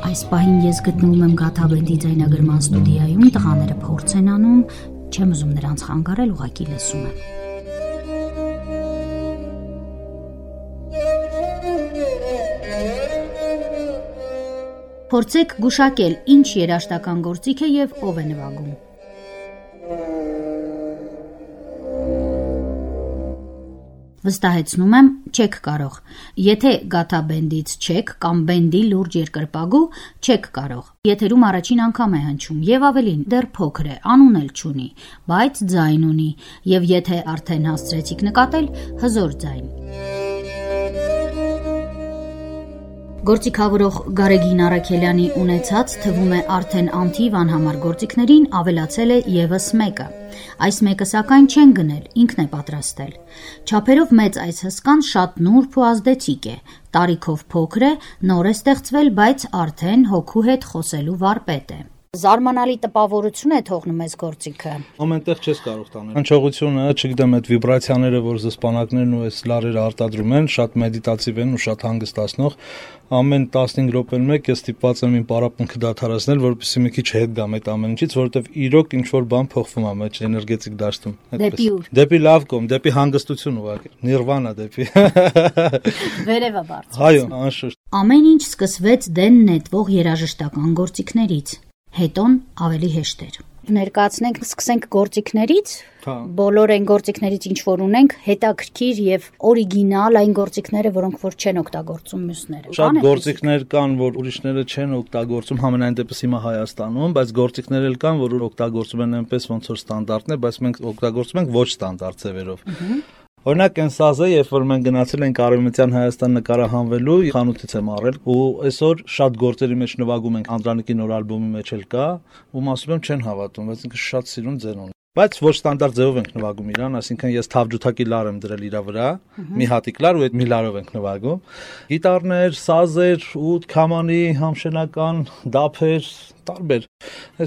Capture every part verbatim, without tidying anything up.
Այս պահին ես գտնվում եմ Գաթաբենդի ձայնագրման ստուդիայում, տղաները փորձ են անում, չեմ ուզում նրանց խանգարել, ուղղակի լսում եմ։ Փորձեք գուշակել, ինչ երաժշտական գործիք է եւ ով է նվագում։ Վստահեցնում եմ, չեք կարող։ Եթե Գաթաբենդից չեք կամ բենդի լուրջ երկրպագու, չեք կարող։ Եթերում առաջին անգամ է հնչում եւ ավելին, դեռ փոքր է, անուն էլ չունի, բայց ձայն ունի, եւ եթե արդեն հասցրեցիք նկատել, հզոր ձայն։ Գործիքավորող Գարեգին Առաքելյանի ունեցած թվում է արդեն անթիվ անհամար գործիքներին ավելացել է եւս մեկը։ Այս մեկը սակայն չեն գնել, ինքն է պատրաստել։ Չափերով մեծ այս հսկան շատ նուրբ ու ազդեցիկ է, տարիքով փոքր է, նոր է ստեղծվել, բայց արդեն հոգու հետ խոսելու վարպետ է։ Զարմանալի տպավորություն է թողնում այս գործիքը։ Ամենտեղ չես կարող տանել։ Հնչողությունը, չգիտեմ, այդ վիբրացիաները, որ զսպանակներն ու այս լարերը արտադրում են, շատ մեդիտատիվ են ու շատ հանգստացնող։ Ամեն տասնհինգ րոպեն մեկ ես ստիպված եմ իմ պարապմունքը դադարեցնել, որպեսզի մի քիչ հետ գամ այդ ամեն ինչից, որովհետև իրոք ինչ որ բան փոխվում է մեջ էներգետիկ դաշտում։ Դեպի ուր։ Դեպի լավ կողմ, դեպի հանգստություն ուղղակի։ Նիրվանա դեպի։ Վերևը բարձր։ Այո, անշուշտ։ Ամեն ինչ սկսվեց դեն նետվող երաժշտական գործիքներից։ Հետոն ավելի հեշտ էր։ Ներկայացնենք, սկսենք գործիքներից։ Բոլոր այն գործիքներից, ինչ որ ունենք, հետաքրքիր եւ օրիգինալ այն գործիքները, որոնք որ չեն օգտագործում մյուսները։ Շատ գործիքներ կան, որ ուրիշները չեն օգտագործում, համենայն դեպս հիմա Հայաստանում, բայց գործիքներ էլ կան, որ օգտագործում են այնպես ոնց որ ստանդարտն է, բայց մենք օգտագործում ենք ոչ ստանդարտ ձևերով։ Օրինակ այն սազը, երբ որ մենք գնացել ենք Արևմտյան Հայաստան նկարահանվելու, խանութից եմ առել ու այսօր շատ գործերի մեջ նվագում ենք, Անդրանիկի նոր ալբոմի մեջ էլ կա, ու ասում եմ չեն հավատում, բայց ինքը շատ սիրուն ձեն ունի։ Բայց ոչ ստանդարտ ձևով ենք նվագում իրան, այսինքն ես թավջութակի լար եմ դրել իրա վրա, մի հատիկ լար ու այդ մի լարով ենք նվագում։ Գիտարներ, սազեր, ուտ, քամանի, համշենական, դափեր, տարբեր։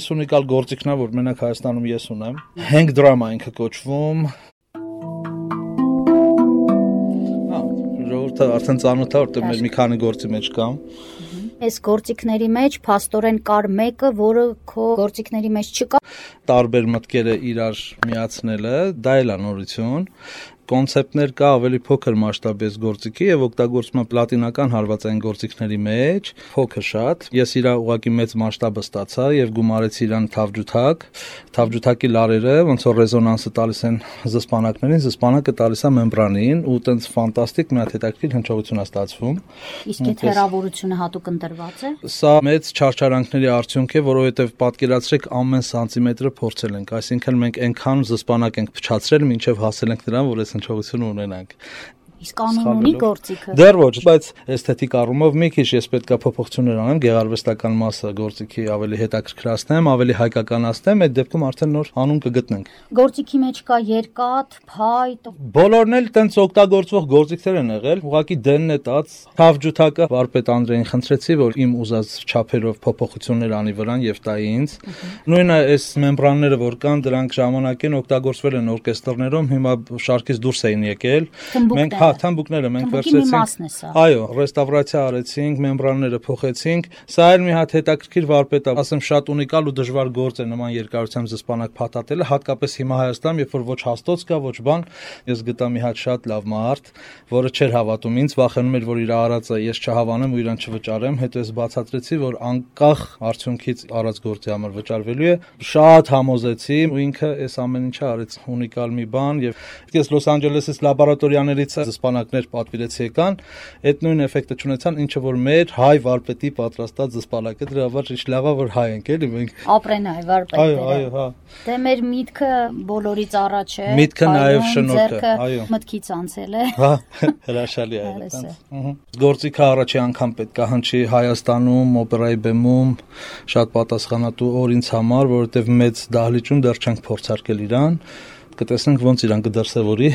Այս ունիկալ գործիքն է, որ մենակ Հայաստանում ես ունեմ։ Hang drum ինքը կոչվում։ Արդեն ծանոթ է, որտեղ մեր մի քանի գործի մեջ կամ։ Այս գործիքների մեջ փաստորեն կար մեկը, որը քո գործիքների մեջ չկա։ Տարբեր մտքերը իրար միացնելը, դա էլ է նորություն։ Կոնցեպտներ կա ավելի փոքր մասշտաբի գործիքի եւ օգտագործում եմ պլատինական հարվածային գործիքների մեջ, փոքր շատ։ Ես իրա ուղակի մեծ մասշտաբը ստացա եւ գումարեցի իրան թավջութակ։ Թավջութակի լարերը ոնց որ ռեզոնանսը տալիս են զսպանակներին, զսպանակը տալիս է մեմբրանին ու տենց ֆանտաստիկ մի հատ հետաքրքիր հնչողություն է ստացվում։ Իսկ այդ հեռավորությունը հատուկ ընտրված է։ Սա մեծ չարչարանքների արդյունք է, որովհետեւ պատկերացրեք ամեն սանտիմետրը փորձել ենք, այսինքն մենք այնքան զսպանակ ենք փչացրել, մինչեւ հասել ենք նրան, որ հնչողություն ունենանք։ Իսկ անուն ունի գործիքը։ Դեռ ոչ, բայց էսթետիկ առումով մի քիչ ես պետքա փոփոխություններ անեմ, գեղարվեստական մասը գործիքի ավելի հետաքրքրացնեմ, ավելի հայկականացնեմ, այդ դեպքում արդեն նոր անուն կգտնենք։ Գործիքի մեջ կա երկաթ, փայտ։ Բոլորն էլ տենց օգտագործվող գործիքներ են եղել, ուղղակի դենն է տած թավջութակը վարպետ Անդրեին խնդրեցի, որ իմ ուզած չափերով փոփոխություններ անի վրան եւ տա ինձ։ Նույնը այս մեմբրանները, որ կան, դրանք ժամանակին օգտագործվել են օրկեստրներում, հիմա շարքից դուրս էին եկել։ Մենք թամբուկները մենք վերցրեցինք։ Այո, ռեստավրացիա արեցինք, մեմբրանները փոխեցինք։ Սա էլ մի հատ հետաքրքիր վարպետ է, ասեմ շատ ունիկալ ու դժվար գործ է նման երկարությամբ զսպանակ փաթաթելը, հատկապես հիմա Հայաստանում, երբ որ ոչ հաստոց կա, ոչ բան։ Ես գտա մի հատ շատ լավ մարդ, որը չէր հավատում ինձ, վախենում էր, որ իր արածը ես չհավանեմ ու իրան չվճարեմ, հետո ես բացատրեցի, որ անկախ արդյունքից արած գործի համար վճարվելու է։ Շատ համոզեցի ու ինքը այս ամեն ինչը արեց, ունիկալ մի բան եւ ես Լոս Անջելեսից լաբորատորիաներից զսպանակներ պատվիրեցի եկան, այդ նույն էֆեկտը չունեցան, ինչը որ մեր հայ վարպետի պատրաստած զսպանակը, դրա համար ինչ լավ է, որ հայ ենք, էլի մենք։ Ապրեն հայ վարպետները։ Այո, այո, հա։ Դե մեր միտքը բոլորից առաջ է։ Միտքը նաև շնորհքը, այո։ Մտքից անցել է։ Հա, հրաշալի է այդպես։ Ահա։ Գործիքը առաջի անգամ պետք է հնչի Հայաստանում, օպերայի բեմում, շատ պատասխանատու օր ինձ համար, որովհետև մեծ դահլիճում դեռ չենք փորձարկել իրան։ Կտեսնենք ոնց իրան կդրսևորի,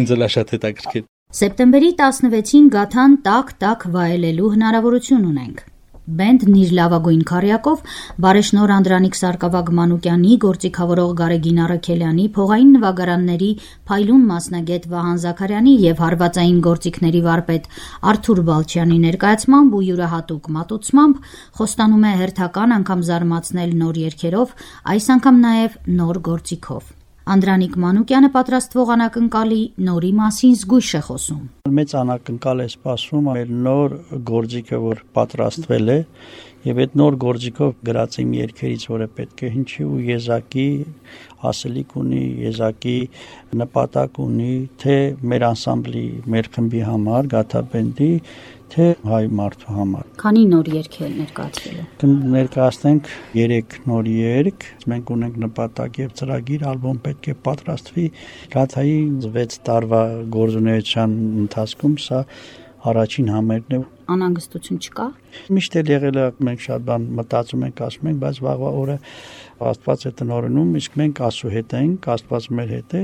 ինձ էլ է շատ հետաքրքիր։ Սեպտեմբերի տասնվեցին Գաթան տակ-տակ վայելելու հնարավորություն ունենք։ Բենդն իր լավագույն քառյակով բարեշնոր Անդրանիկ Սարգսակ Մանուկյանի, գործիքավորող Գարեգին Առաքելյանի, փողային նվագարանների փայլուն մասնագետ Վահան Զաքարյանի եւ հարվածային գործիքների վարպետ Արթուր Բալչյանի ներկայացմամբ ու յուրահատուկ մատուցմամբ խոստանում է հերթական անգամ զարմացնել նոր երգերով, այս անգամ նաեւ նոր գործիքով։ Անդրանիկ Մանուկյանը պատրաստվող անակնկալի նորի մասին զգույշ է խոսում։ Մեծ անակնկալ է սպասվում մեր նոր գործիքը, որ պատրաստվել է, եւ այդ նոր գործիքով գրած իմ երգերից, որը պետք է հնչի ու եզակի ասելիք ունի, եզակի նպատակ ունի, թե մեր անսամբլի, մեր խմբի համար, Գաթա բենդի, թե հայ մարդու համար։ Քանի նոր երգ է ներկայացվել։ Կներկայացնենք երեք նոր երգ, մենք ունենք նպատակ եւ ծրագիր, ալբոմ պետք է պատրաստվի Գաթայի վեց տարվա գործունեության ընթացքում, սա առաջին համերգն է։ Անհանգստություն չկա։ Միշտ էլ եղել է, մենք շատ բան մտածում ենք, ասում ենք, բայց վաղվա օրը Աստված է տնօրինում, իսկ մենք Աստծո հետ ենք, Աստված մեր հետ է,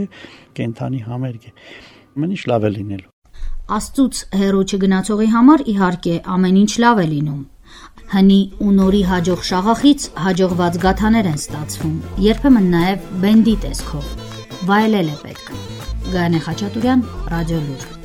կենթանի համերգ է։ Ամեն ինչ լավ է լինելու։ Աստծուց հեռու չգնացողի համար իհարկե ամեն ինչ լավ է լինում։ Հնի ու նորի հաջող շաղախից հաջողված գաթաներ են ստացվում, երբեմն նաև բենդի տեսքով։ Վայելել է պետք։ Գայանե Խաչատուրյան, Ռադիոլուր։